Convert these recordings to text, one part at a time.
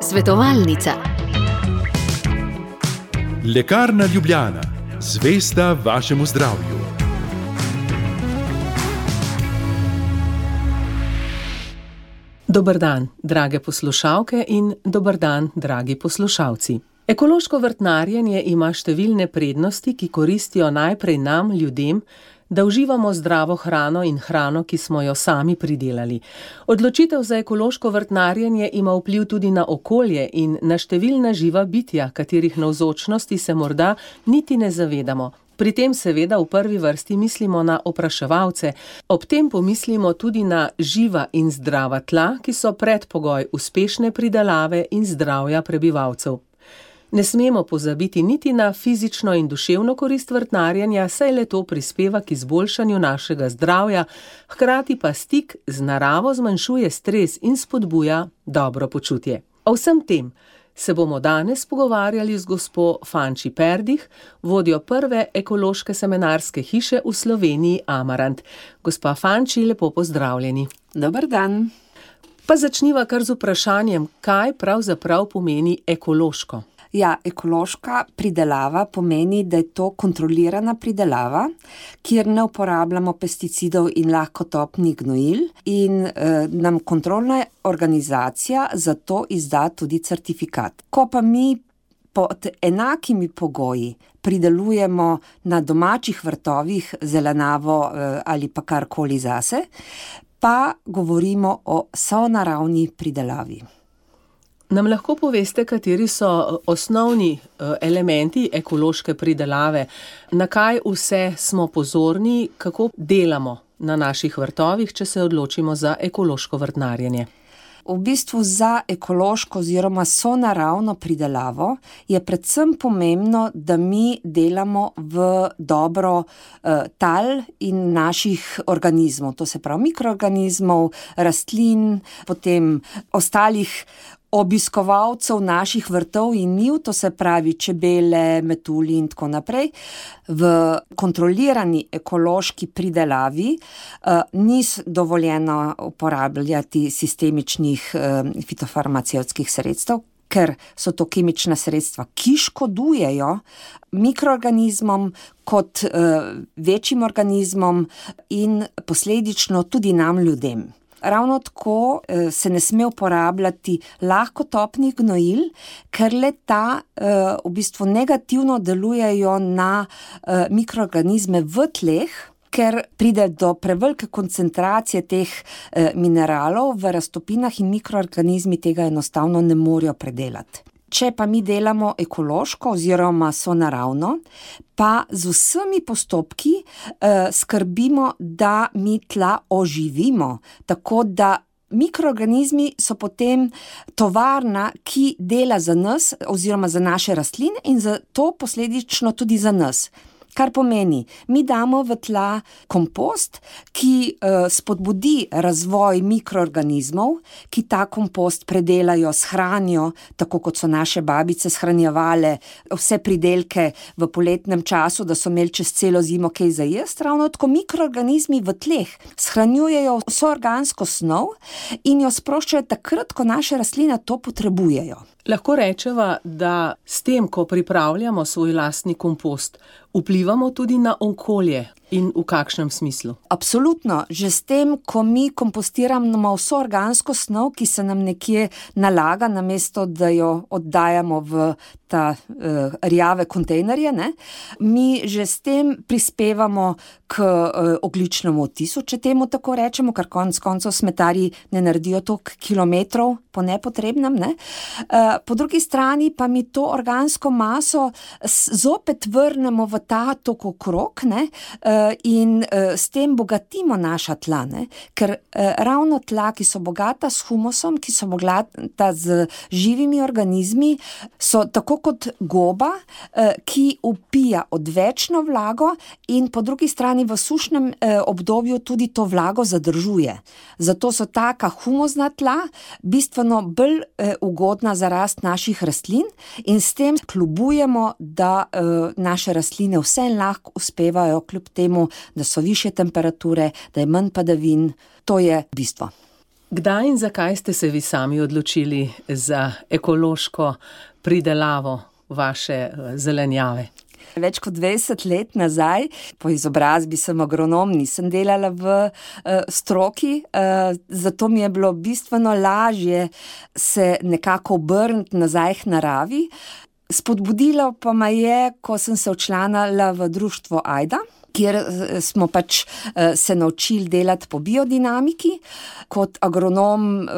Svetovalnica. Lekarna Ljubljana, zvesta vašemu zdravju. Dober dan, drage poslušalke in dober dan, dragi poslušalci. Ekološko vrtnarjenje ima številne prednosti, ki koristijo najprej nam, ljudem, da uživamo zdravo hrano in hrano, ki smo jo sami pridelali. Odločitev za ekološko vrtnarjenje ima vpliv tudi na okolje in na številna živa bitja, katerih navzočnosti se morda niti ne zavedamo. Pri tem seveda v prvi vrsti mislimo na opraševalce, ob tem pomislimo tudi na živa in zdrava tla, ki so predpogoj uspešne pridelave in zdravja prebivalcev. Ne smemo pozabiti niti na fizično in duševno korist vrtnarjenja, saj le to prispeva k izboljšanju našega zdravja, hkrati pa stik z naravo zmanjšuje stres in spodbuja dobro počutje. O vsem tem se bomo danes pogovarjali z gospo Fanči Perdih, vodjo prve ekološke semenarske hiše v Sloveniji Amarant. Gospa Fanči, lepo pozdravljeni. Dober dan. Pa začniva kar z vprašanjem, kaj pravzaprav pomeni ekološko? Ja, ekološka pridelava pomeni, da je to kontrolirana pridelava, kjer ne uporabljamo pesticidov in lahkotopnih gnojil in nam kontrolna organizacija za to izda tudi certifikat. Ko pa mi pod enakimi pogoji pridelujemo na domačih vrtovih zelenjavo ali pa karkoli zase, pa govorimo o sonaravni pridelavi. Nam lahko poveste, kateri so osnovni elementi ekološke pridelave, na kaj vse smo pozorni, kako delamo na naših vrtovih, če se odločimo za ekološko vrtnarjenje? V bistvu za ekološko oziroma sonaravno pridelavo je predvsem pomembno, da mi delamo v dobro tal in naših organizmov, to se pravi mikroorganizmov, rastlin, potem ostalih obiskovalcev naših vrtov in njiv, to se pravi čebele, metulji in tako naprej. V kontrolirani ekološki pridelavi ni dovoljeno uporabljati sistemičnih fitofarmacevtskih sredstev, ker so to kemična sredstva, ki škodujejo mikroorganizmom kot večjim organizmom in posledično tudi nam ljudem. Ravno tako se ne sme uporabljati lahkotopnih gnojil, ker le ta v bistvu negativno delujejo na mikroorganizme v tleh, ker pride do prevelike koncentracije teh mineralov v raztopinah in mikroorganizmi tega enostavno ne morejo predelati. Če pa mi delamo ekološko oziroma sonaravno, pa z vsemi postopki skrbimo, da mi tla oživimo, tako da mikroorganizmi so potem tovarna, ki dela za nas oziroma za naše rastline in zato posledično tudi za nas. Kar pomeni, mi damo v tla kompost, ki spodbudi razvoj mikroorganizmov, ki ta kompost predelajo, shranijo, tako kot so naše babice shranjevale vse pridelke v poletnem času, da so imeli čez celo zimo kaj za jesti. Ravno tako mikroorganizmi v tleh shranjujejo vso organsko snov in jo sproščajo takrat, ko naše rastline to potrebujejo. Lahko rečeva, da s tem, ko pripravljamo svoj lastni kompost, vplivamo tudi na okolje in v kakšnem smislu? Absolutno. Že s tem, ko mi kompostiramo vso organsko snov, ki se nam nekje nalaga, namesto da jo oddajamo v ta rjave kontejnerje, mi že s tem prispevamo k ogljičnemu odtisu, če temu tako rečemo, ker konec koncev smetarji ne naredijo toliko kilometrov po nepotrebnem. Po drugi strani pa mi to organsko maso zopet vrnemo v ta tok okrog in s tem bogatimo naša tla, ker ravno tla, ki so bogata s humusom, ki so bogata z živimi organizmi, so tako kot goba, ki vpija odvečno vlago in po drugi strani v sušnem obdobju tudi to vlago zadržuje. Zato so taka humusna tla bistveno bolj ugodna za rast naših rastlin in s tem kljubujemo, da naše rastline vseeno lahko uspevajo kljub temu, da so višje temperature, da je manj padavin. To je bistvo. Kdaj in zakaj ste se vi sami odločili za ekološko pridelavo vaše zelenjave? Več kot 20 let nazaj, po izobrazbi sem agronom, nisem delala v stroki, zato mi je bilo bistveno lažje se nekako obrniti nazaj k naravi. Spodbudilo pa me je, ko sem se včlanila v društvo Ajda, kjer smo pač se naučili delati po biodinamiki. Kot agronom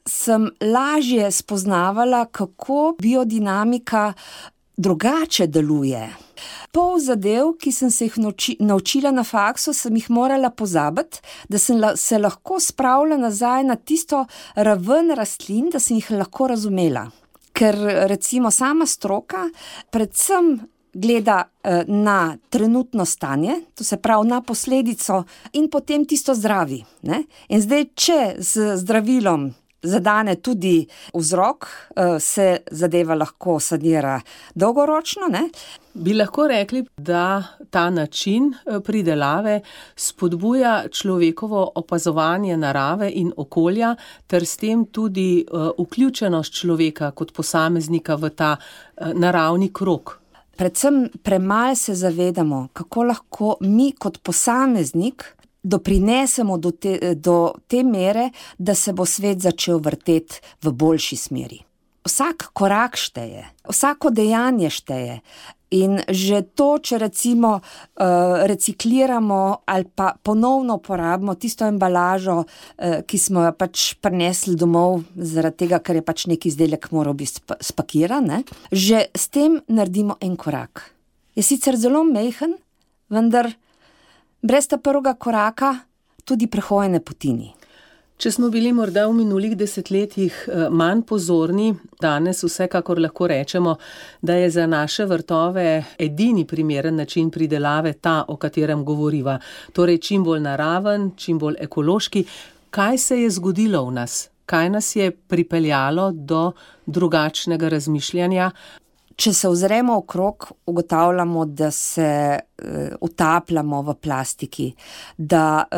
sem lažje spoznavala, kako biodinamika drugače deluje. Pol zadev, ki sem se jih naučila na faksu, sem jih morala pozabiti, da sem se lahko spravila nazaj na tisto raven rastlin, da sem jih lahko razumela. Ker recimo sama stroka predvsem gleda na trenutno stanje, to se pravi na posledico in potem tisto zdravi, ne? In zdaj, če z zdravilom zadane tudi vzrok, se zadeva lahko sanira dolgoročno, ne? Bi lahko rekli, da ta način pridelave spodbuja človekovo opazovanje narave in okolja, ter s tem tudi vključenost človeka kot posameznika v ta naravni krog. Predvsem premalo se zavedamo, kako lahko mi kot posameznik doprinesemo do te mere, da se bo svet začel vrteti v boljši smeri. Vsak korak šteje, vsako dejanje šteje. In že to, če recimo recikliramo ali pa ponovno uporabimo tisto embalažo, ki smo jo pač prinesli domov, zaradi tega, ker je pač neki izdelek moral biti spakiran, ne? Že s tem naredimo en korak. Je sicer zelo majhen, vendar brez ta prvega koraka tudi prehojene poti ni. Če smo bili morda v minulih desetletjih manj pozorni, danes vsekakor lahko rečemo, da je za naše vrtove edini primeren način pridelave ta, o katerem govoriva. Torej čim bolj naraven, čim bolj ekološki. Kaj se je zgodilo v nas? Kaj nas je pripeljalo do drugačnega razmišljanja? Če se ozremo okrog, ugotavljamo, da se utapljamo v plastiki, da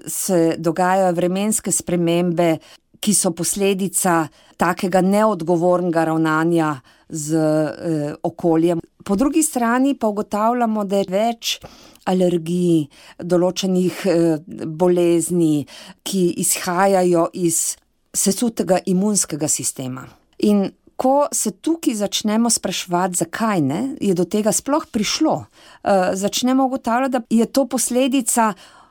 se dogajajo vremenske spremembe, ki so posledica takega neodgovornega ravnanja z okoljem. Po drugi strani pa ugotavljamo, da je več alergij, določenih bolezni, ki izhajajo iz sesutega imunskega sistema. In ko se tukaj začnemo spraševati, zakaj ne, je do tega sploh prišlo. Začnemo ugotavljati, da je to posledica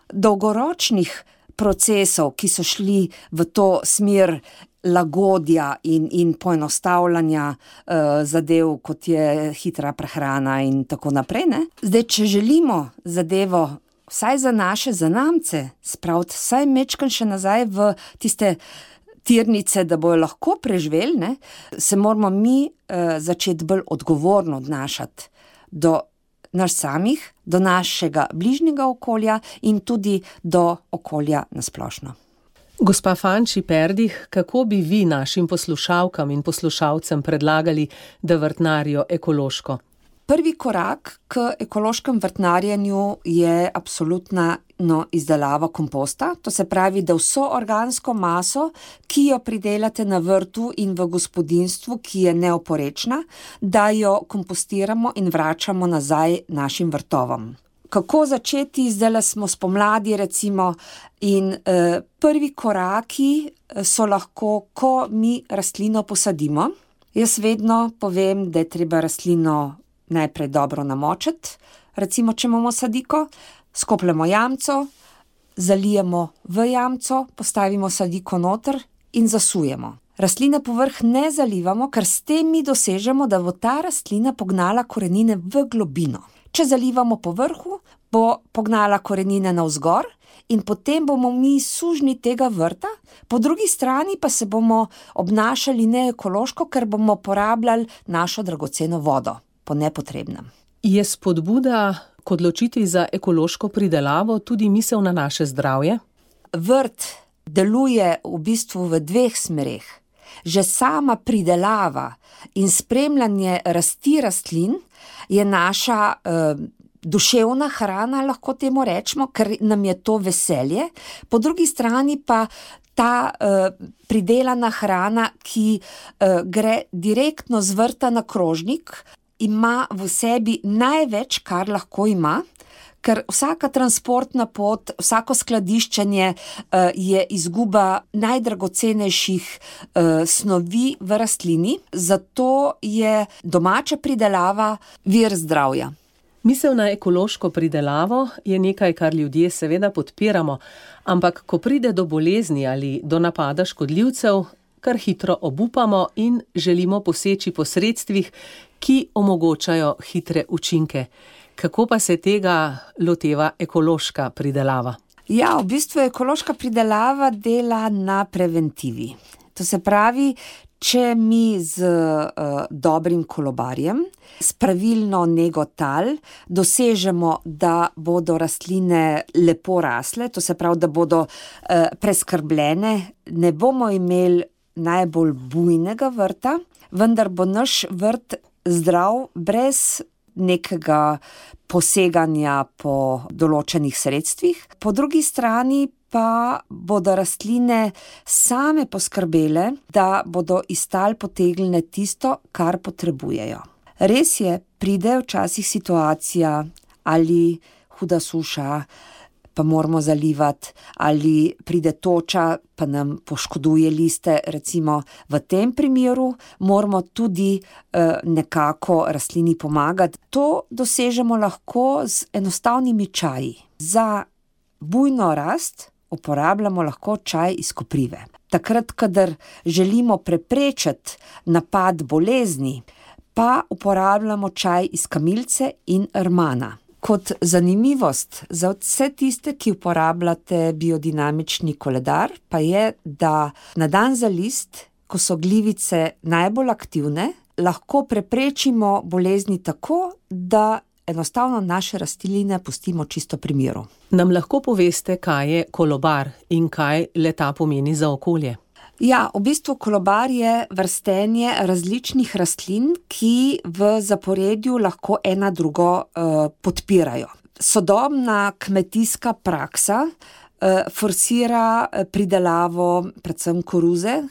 dolgoročnih procesov, ki so šli v to smer lagodja in poenostavljanja zadev, kot je hitra prehrana in tako naprej, ne. Zdaj, če želimo zadevo vsaj za naše zanamce spraviti, vsaj mečkan še nazaj v tiste tirnice, da bojo lahko preživeli, ne, se moramo mi začeti bolj odgovorno odnašati do nas samih, do našega bližnjega okolja in tudi do okolja nasplošno. Gospa Fanči Perdih, kako bi vi našim poslušalkam in poslušalcem predlagali, da vrtnarijo ekološko? Prvi korak k ekološkem vrtnarjenju je absolutna izdelava komposta. To se pravi, da vso organsko maso, ki jo pridelate na vrtu in v gospodinjstvu, ki je neoporečna, da jo kompostiramo in vračamo nazaj našim vrtovom. Kako začeti? Zdaj smo spomladi recimo in prvi koraki so lahko, ko mi rastlino posadimo. Jaz vedno povem, da je treba rastlino najprej dobro namočiti, recimo, če imamo sadiko, skopljemo jamco, zalijemo v jamco, postavimo sadiko noter in zasujemo. Rastline povrh ne zalivamo, ker s tem mi dosežemo, da bo ta rastlina pognala korenine v globino. Če zalivamo po vrhu, bo pognala korenine navzgor in potem bomo mi sužnji tega vrta, po drugi strani pa se bomo obnašali neekološko, ker bomo porabljali našo dragoceno vodo po nepotrebnem. Je spodbuda k odločitvi za ekološko pridelavo tudi misel na naše zdravje? Vrt deluje v bistvu v dveh smereh. Že sama pridelava in spremljanje rasti rastlin je naša duševna hrana, lahko temu rečemo, ker nam je to veselje. Po drugi strani pa ta pridelana hrana, ki gre direktno z vrta na krožnik, ima v sebi največ, kar lahko ima, ker vsaka transportna pot, vsako skladiščenje je izguba najdragocenejših snovi v rastlini, zato je domača pridelava vir zdravja. Misel na ekološko pridelavo je nekaj, kar ljudje seveda podpiramo, ampak ko pride do bolezni ali do napada škodljivcev, kar hitro obupamo in želimo poseči po sredstvih, ki omogočajo hitre učinke. Kako pa se tega loteva ekološka pridelava? Ja, v bistvu ekološka pridelava dela na preventivi. To se pravi, če mi z dobrim kolobarjem, s pravilno nego tal, dosežemo, da bodo rastline lepo rasle, to se pravi, da bodo preskrbljene, ne bomo imeli najbolj bujnega vrta, vendar bo naš vrt zdrav brez nekega poseganja po določenih sredstvih. Po drugi strani pa bodo rastline same poskrbele, da bodo iz tal potegnile tisto, kar potrebujejo. Res je, pride včasih situacija ali huda suša, pa moramo zalivati, ali pride toča, pa nam poškoduje liste. Recimo v tem primeru moramo tudi nekako rastlini pomagati. To dosežemo lahko z enostavnimi čaji. Za bujno rast uporabljamo lahko čaj iz koprive. Takrat, kadar želimo preprečiti napad bolezni, pa uporabljamo čaj iz kamilice in rmana. Kot zanimivost za vse tiste, ki uporabljate biodinamični koledar, pa je, da na dan za list, ko so glivice najbolj aktivne, lahko preprečimo bolezni tako, da enostavno naše rastline pustimo čisto pri miru. Nam lahko poveste, kaj je kolobar in kaj le-ta pomeni za okolje? Ja, v bistvu kolobar je vrstenje različnih rastlin, ki v zaporedju lahko ena drugo podpirajo. Sodobna kmetijska praksa forsira pridelavo predvsem koruze,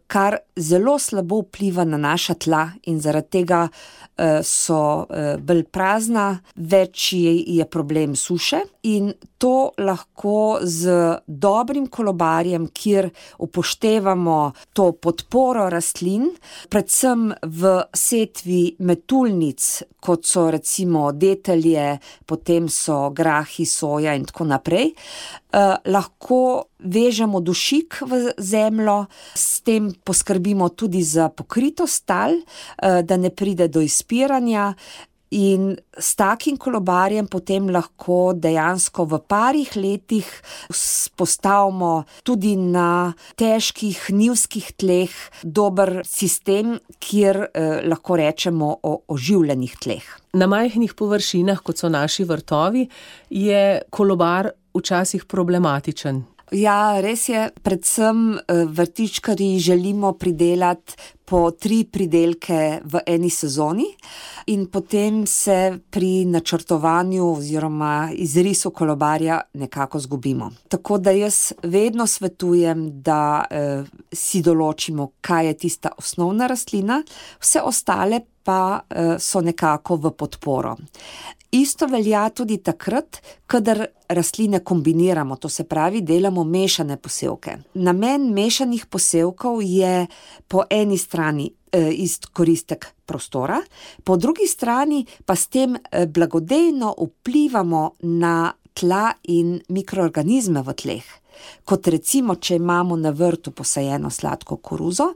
kar zelo slabo vpliva na naša tla in zaradi tega so bolj prazna, večji je problem suše in to lahko z dobrim kolobarjem, kjer upoštevamo to podporo rastlin, predvsem v setvi metulnic, kot so recimo detelje, potem so grahi, soja in tako naprej, lahko vežemo dušik v zemljo, s tem poskrbimo tudi za pokritost tal, da ne pride do izpiranja in s takim kolobarjem potem lahko dejansko v parih letih postavimo tudi na težkih njivskih tleh dober sistem, kjer lahko rečemo o oživljenih tleh. Na majhnih površinah, kot so naši vrtovi, je kolobar včasih problematičen. Ja, res je, predvsem vrtičkarji želimo pridelati po 3 pridelke v eni sezoni in potem se pri načrtovanju oziroma izrisu kolobarja nekako zgubimo. Tako da jaz vedno svetujem, da si določimo, kaj je tista osnovna rastlina, vse ostale pa so nekako v podporo. Isto velja tudi takrat, kadar rastline kombiniramo, to se pravi, delamo mešane posevke. Namen mešanih posevkov je po eni strani izkoristek prostora, po drugi strani pa s tem blagodejno vplivamo na tla in mikroorganizme v tleh. Kot recimo, če imamo na vrtu posajeno sladko koruzo,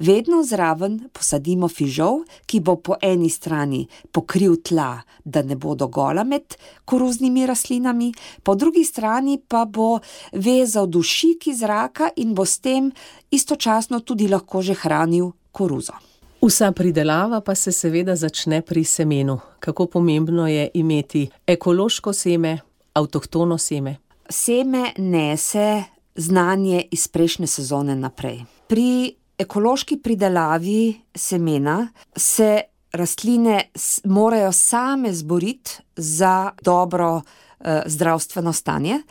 vedno zraven posadimo fižol, ki bo po eni strani pokril tla, da ne bodo gola med koruznimi rastlinami, po drugi strani pa bo vezal dušik iz zraka in bo s tem istočasno tudi lahko že hranil koruzo. Vsa pridelava pa se seveda začne pri semenu. Kako pomembno je imeti ekološko seme, avtohtono seme? Seme nese znanje iz prejšnje sezone naprej. Pri ekološki pridelavi semena se rastline morajo same zboriti za dobro zdravstveno stanje,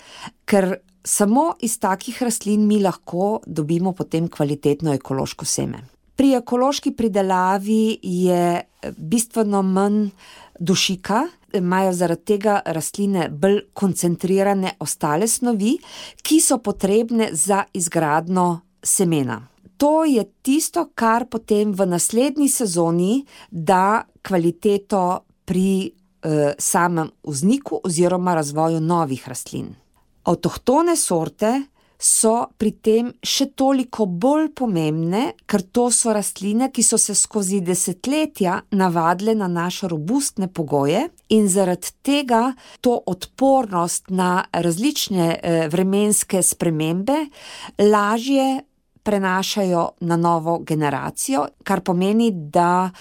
ker samo iz takih rastlin mi lahko dobimo potem kvalitetno ekološko seme. Pri ekološki pridelavi je bistveno manj dušika, imajo zaradi tega rastline bolj koncentrirane ostale snovi, ki so potrebne za izgradnjo semena. To je tisto, kar potem v naslednji sezoni da kvaliteto pri samem vzniku oziroma razvoju novih rastlin. Avtohtone sorte so pri tem še toliko bolj pomembne, ker to so rastline, ki so se skozi desetletja navadile na naše robustne pogoje in zaradi tega to odpornost na različne vremenske spremembe lažje prenašajo na novo generacijo, kar pomeni, da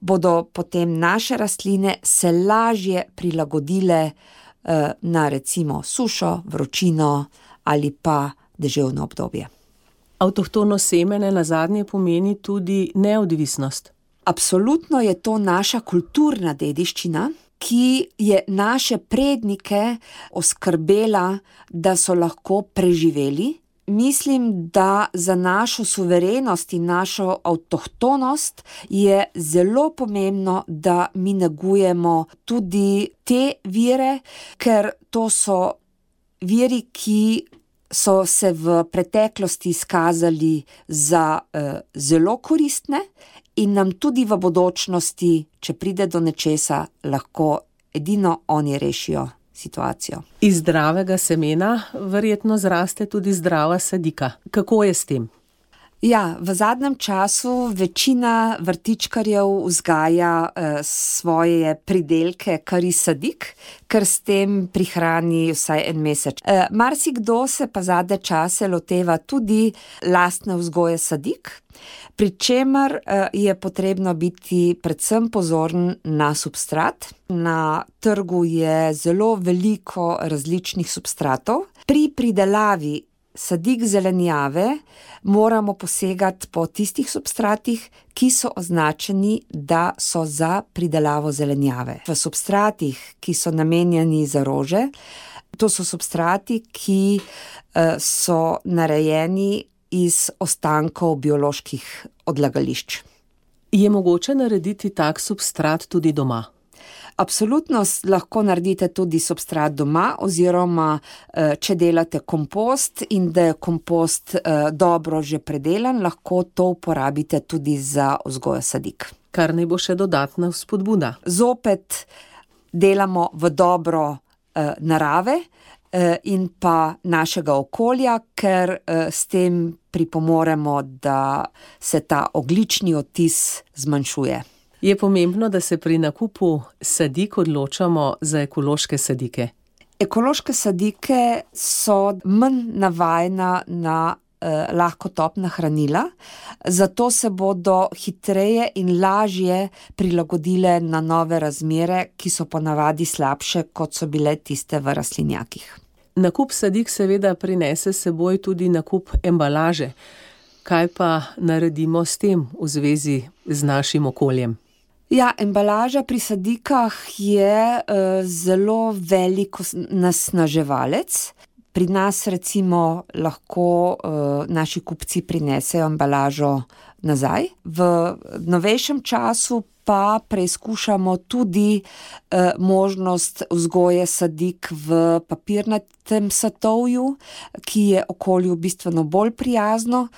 bodo potem naše rastline se lažje prilagodile na recimo sušo, vročino ali pa deževno obdobje. Avtohtono semene nazadnje pomeni tudi neodvisnost. Absolutno je to naša kulturna dediščina, ki je naše prednike oskrbela, da so lahko preživeli. Mislim, da za našo suverenost in našo avtohtonost je zelo pomembno, da mi negujemo tudi te vire, ker to so viri, ki so se v preteklosti izkazali za zelo koristne in nam tudi v bodočnosti, če pride do nečesa, lahko edino oni rešijo situacijo. Iz zdravega semena verjetno zraste tudi zdrava sadika. Kako je s tem? Ja, v zadnjem času večina vrtičkarjev vzgaja svoje pridelke kar iz sadik, ker s tem prihrani vsaj en mesec. Marsikdo se pa zadnje čase loteva tudi lastne vzgoje sadik, pri čemer je potrebno biti predvsem pozoren na substrat. Na trgu je zelo veliko različnih substratov. Pri pridelavi sadik zelenjave moramo posegati po tistih substratih, ki so označeni, da so za pridelavo zelenjave. V substratih, ki so namenjeni za rože, to so substrati, ki so narejeni iz ostankov bioloških odlagališč. Je mogoče narediti tak substrat tudi doma? Absolutno lahko naredite tudi substrat doma, oziroma če delate kompost in da je kompost dobro že predelan, lahko to uporabite tudi za vzgojo sadik. Kar naj bo še dodatna vzpodbuda. Zopet delamo v dobro narave in pa našega okolja, ker s tem pripomoremo, da se ta ogljični odtis zmanjšuje. Je pomembno, da se pri nakupu sadik odločamo za ekološke sadike? Ekološke sadike so manj navajena na lahkotopna hranila, zato se bodo hitreje in lažje prilagodile na nove razmere, ki so ponavadi slabše, kot so bile tiste v rastlinjakih. Nakup sadik seveda prinese s seboj tudi nakup embalaže. Kaj pa naredimo s tem v zvezi z našim okoljem? Ja, embalaža pri sadikah je zelo velik onesnaževalec. Pri nas recimo lahko naši kupci prinesejo embalažo nazaj. V novejšem času pa preizkušamo tudi možnost vzgoje sadik v papirnatem satovju, ki je okolju bistveno bolj prijazno.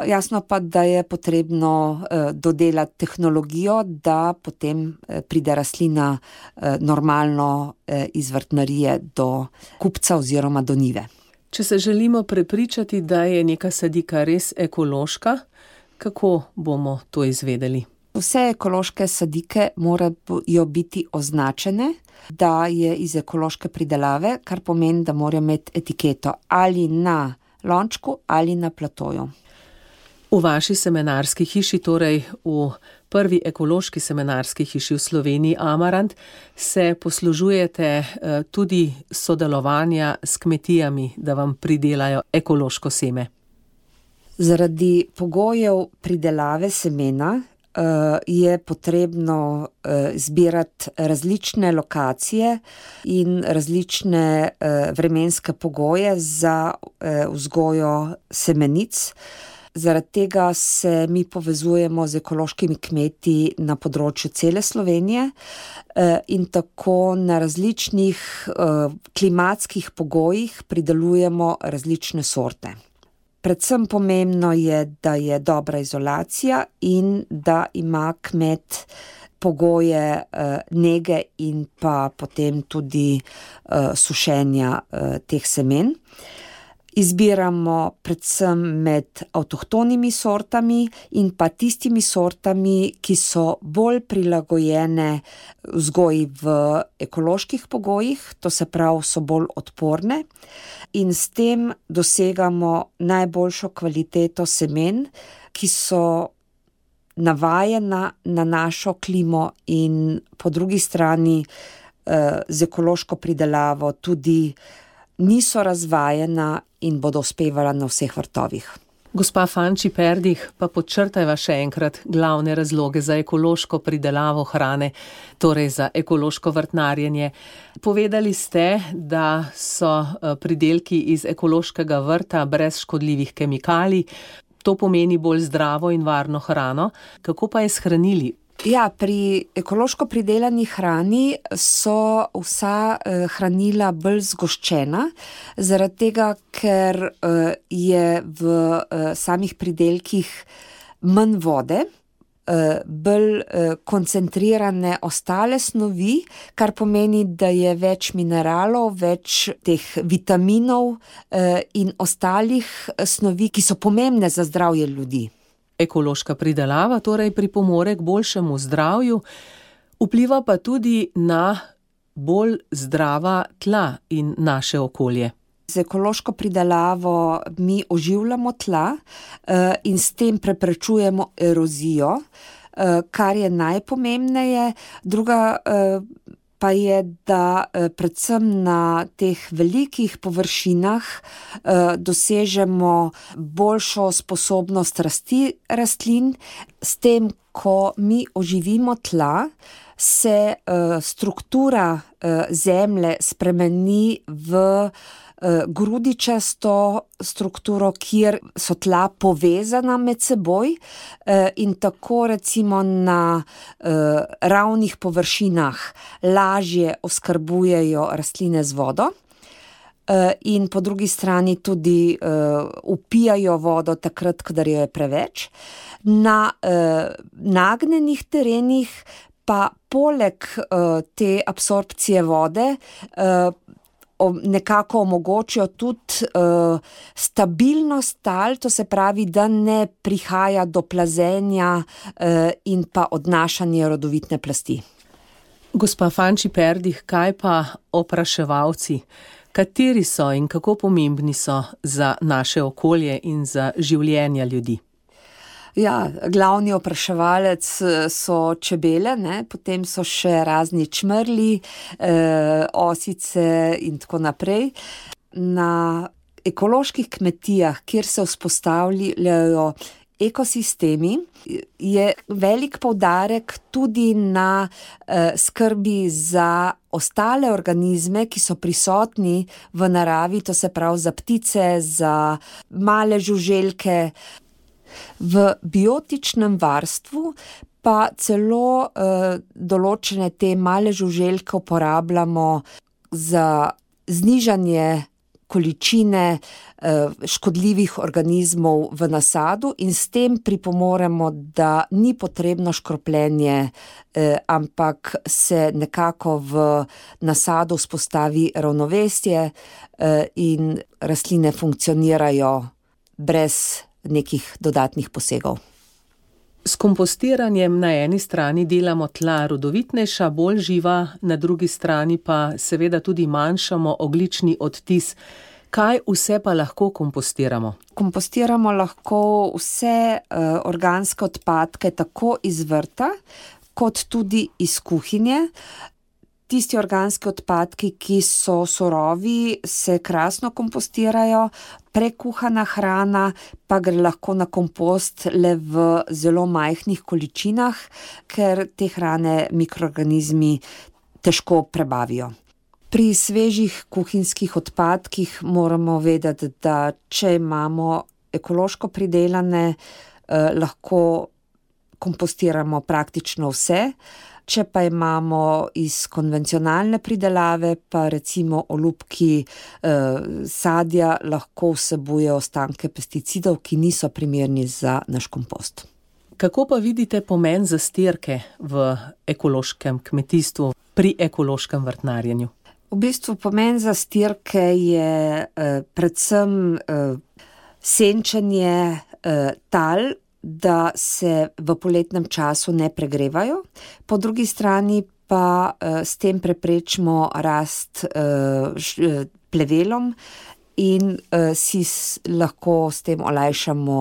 Jasno pa, da je potrebno dodelati tehnologijo, da potem pride rastlina normalno iz vrtnarije do kupca oziroma do njive. Če se želimo prepričati, da je neka sadika res ekološka, kako bomo to izvedeli? Vse ekološke sadike morajo biti označene, da je iz ekološke pridelave, kar pomeni, da morajo imeti etiketo ali na lončku ali na platoju. V vaši semenarski hiši, torej v prvi ekološki semenarski hiši v Sloveniji Amarant, se poslužujete tudi sodelovanja s kmetijami, da vam pridelajo ekološko seme. Zaradi pogojev pridelave semena je potrebno zbirati različne lokacije in različne vremenske pogoje za vzgojo semenic. Zaradi tega se mi povezujemo z ekološkimi kmeti na področju cele Slovenije in tako na različnih klimatskih pogojih pridelujemo različne sorte. Predvsem pomembno je, da je dobra izolacija in da ima kmet pogoje nege in pa potem tudi sušenja teh semen. Izbiramo predvsem med avtohtonimi sortami in pa tistimi sortami, ki so bolj prilagojene vzgoji v ekoloških pogojih, to se pravi, so bolj odporne in s tem dosegamo najboljšo kvaliteto semen, ki so navajena na našo klimo in po drugi strani z ekološko pridelavo tudi niso razvajena in bodo uspevala na vseh vrtovih. Gospa Fanči Perdih, pa podčrtajva še enkrat glavne razloge za ekološko pridelavo hrane, torej za ekološko vrtnarjenje. Povedali ste, da so pridelki iz ekološkega vrta brez škodljivih kemikalij. To pomeni bolj zdravo in varno hrano. Kako pa je s hranili? Ja, pri ekološko pridelani hrani so vsa hranila bolj zgoščena, zaradi tega, ker je v samih pridelkih manj vode, bolj koncentrirane ostale snovi, kar pomeni, da je več mineralov, več teh vitaminov in ostalih snovi, ki so pomembne za zdravje ljudi. Ekološka pridelava torej pripomore k boljšemu zdravju, vpliva pa tudi na bolj zdrava tla in naše okolje. Z ekološko pridelavo mi oživljamo tla in s tem preprečujemo erozijo, kar je najpomembneje. Druga pa je, da predvsem na teh velikih površinah dosežemo boljšo sposobnost rasti rastlin. S tem, ko mi oživimo tla, se struktura zemlje spremeni v grudičasto strukturo, kjer so tla povezana med seboj in tako recimo na ravnih površinah lažje oskrbujejo rastline z vodo in po drugi strani tudi vpijajo vodo takrat, kadar jo je preveč. Na nagnjenih terenih pa poleg te absorpcije vode nekako omogočijo tudi stabilnost tal, to se pravi, da ne prihaja do plazenja in pa odnašanja rodovitne plasti. Gospa Fanči Perdih, kaj pa opraševalci? Kateri so in kako pomembni so za naše okolje in za življenja ljudi? Ja, glavni opraševalec so čebele, potem so še razni čmrli, osice in tako naprej. Na ekoloških kmetijah, kjer se vzpostavljajo ekosistemi, je velik poudarek tudi na skrbi za ostale organizme, ki so prisotni v naravi, to se pravi za ptice, za male žuželke. V biotičnem varstvu pa celo določene te male žuželke uporabljamo za znižanje količine škodljivih organizmov v nasadu in s tem pripomoremo, da ni potrebno škropljenje, ampak se nekako v nasadu vzpostavi ravnovesje in rastline funkcionirajo brez nekih dodatnih posegov. S kompostiranjem na eni strani delamo tla rodovitnejša, bolj živa, na drugi strani pa seveda tudi manjšamo ogljični odtis. Kaj vse pa lahko kompostiramo? Kompostiramo lahko vse organske odpadke tako iz vrta, kot tudi iz kuhinje. Tisti organski odpadki, ki so surovi, se krasno kompostirajo, prekuhana hrana pa gre lahko na kompost le v zelo majhnih količinah, ker te hrane mikroorganizmi težko prebavijo. Pri svežih kuhinjskih odpadkih moramo vedeti, da če imamo ekološko pridelane, lahko kompostiramo praktično vse. Če pa imamo iz konvencionalne pridelave, pa recimo olupki sadja lahko vsebuje ostanke pesticidov, ki niso primerni za naš kompost. Kako pa vidite pomen zastirke v ekološkem kmetijstvu, pri ekološkem vrtnarjenju? V bistvu pomen zastirke je predvsem senčenje tal, da se v poletnem času ne pregrevajo, po drugi strani pa s tem preprečimo rast plevelom in si lahko s tem olajšamo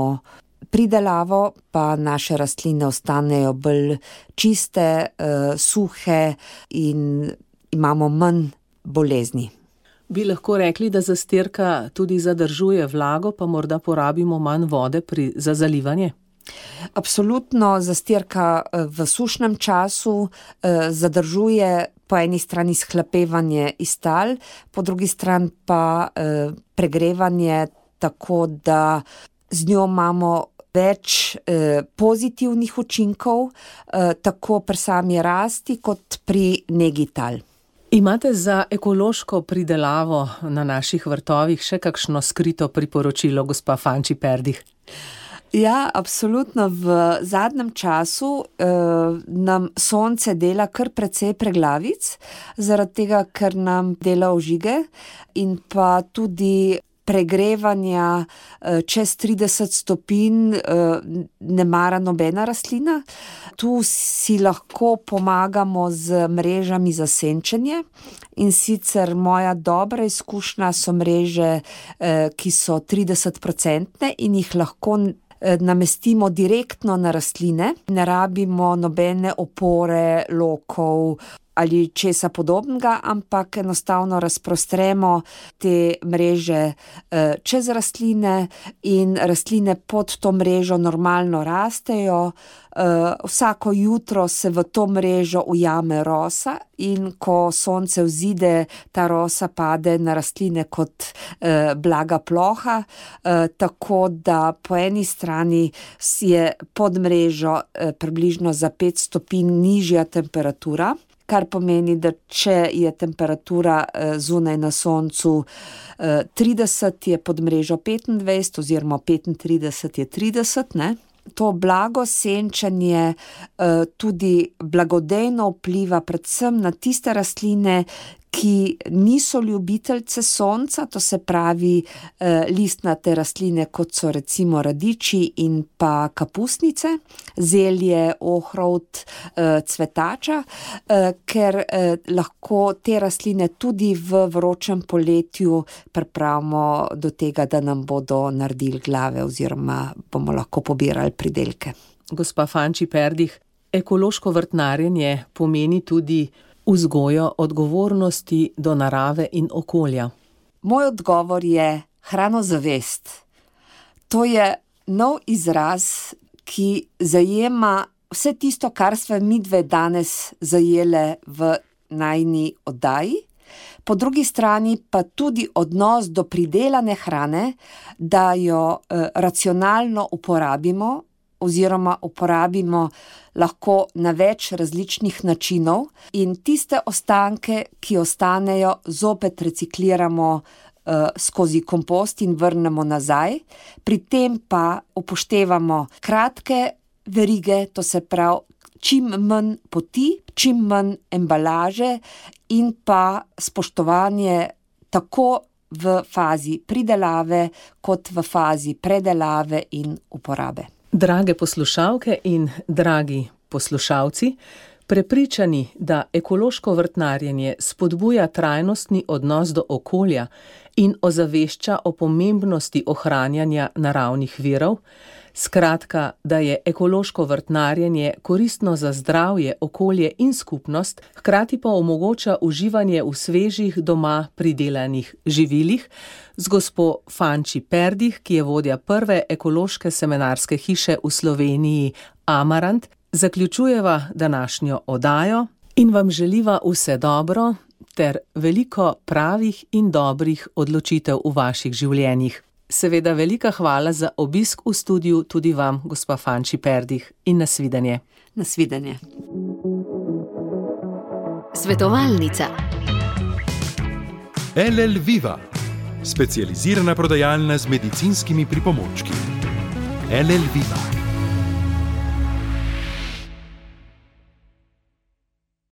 pridelavo, pa naše rastline ostanejo bolj čiste, suhe in imamo manj bolezni. Bi lahko rekli, da zastirka tudi zadržuje vlago, pa morda porabimo manj vode za zalivanje? Absolutno, zastirka v sušnem času zadržuje po eni strani shlapevanje iz tal, po drugi strani pa pregrevanje, tako da z njo imamo več pozitivnih učinkov, tako pri sami rasti kot pri negi tal. Imate za ekološko pridelavo na naših vrtovih še kakšno skrito priporočilo, gospa Fanči Perdih? Ja, absolutno. V zadnjem času nam sonce dela kar precej preglavic, zaradi tega, ker nam dela ožige in pa tudi pregrevanja čez 30 stopinj ne mara nobena rastlina. Tu si lahko pomagamo z mrežami za senčenje in sicer moja dobra izkušnja so mreže, ki so 30% in jih lahko namestimo direktno na rastline. Ne rabimo nobene opore, lokov ali česa podobnega, ampak enostavno razprostremo te mreže čez rastline in rastline pod to mrežo normalno rastejo. Vsako jutro se v to mrežo ujame rosa in ko sonce vzide, ta rosa pade na rastline kot blaga ploha, tako da po eni strani je pod mrežo približno za 5 stopinj nižja temperatura, kar pomeni, da če je temperatura zunaj na soncu 30, je pod mrežo 25 oziroma 35 je 30, ne? To blago senčanje tudi blagodejno vpliva predvsem na tiste rastline, ki niso ljubiteljce sonca, to se pravi listnate rastline, kot so recimo radiči in pa kapusnice, zelje, ohrovt, cvetača, ker lahko te rastline tudi v vročem poletju pripravimo do tega, da nam bodo naredili glave oziroma bomo lahko pobirali pridelke. Gospa Fanči Perdih, ekološko vrtnarjenje pomeni tudi vzgojo odgovornosti do narave in okolja. Moj odgovor je hranozavest. To je nov izraz, ki zajema vse tisto, kar sva midve danes zajele v najini oddaji. Po drugi strani pa tudi odnos do pridelane hrane, da jo racionalno uporabimo oziroma uporabimo lahko na več različnih načinov in tiste ostanke, ki ostanejo, zopet recikliramo skozi kompost in vrnemo nazaj. Pri tem pa upoštevamo kratke verige, to se pravi čim manj poti, čim manj embalaže in pa spoštovanje tako v fazi pridelave kot v fazi predelave in uporabe. Drage poslušalke in dragi poslušalci, Prepričani, da ekološko vrtnarjenje spodbuja trajnostni odnos do okolja in ozavešča o pomembnosti ohranjanja naravnih virov, skratka, da je ekološko vrtnarjenje koristno za zdravje, okolje in skupnost, hkrati pa omogoča uživanje v svežih doma pridelanih živilih, z gospo Fanči Perdih, ki je vodja prve ekološke semenarske hiše v Sloveniji Amarant, zaključujeva današnjo oddajo in vam želiva vse dobro ter veliko pravih in dobrih odločitev v vaših življenjih. Seveda velika hvala za obisk v studiu tudi vam, gospa Fanči Perdih, in nasvidenje. Nasvidenje. Svetovalnica. LL Viva, specializirana prodajalna z medicinskimi pripomočki. LL Viva.